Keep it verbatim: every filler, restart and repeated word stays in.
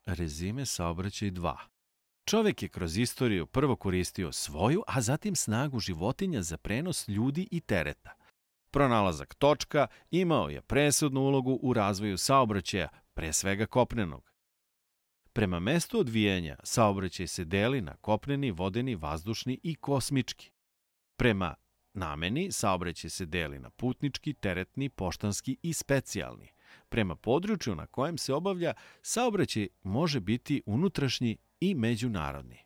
Rezime saobraćaj dva. Čovek je kroz istoriju prvo koristio svoju, a zatim snagu životinja za prenos ljudi i tereta. Pronalazak točka imao je presudnu ulogu u razvoju saobraćaja, pre svega kopnenog. Prema mestu odvijanja, saobraćaj se deli na kopneni, vodeni, vazdušni i kosmički. Prema nameni, saobraćaj se deli na putnički, teretni, poštanski i specijalni. Prema području na kojem se obavlja, saobraćaj može biti unutrašnji i međunarodni.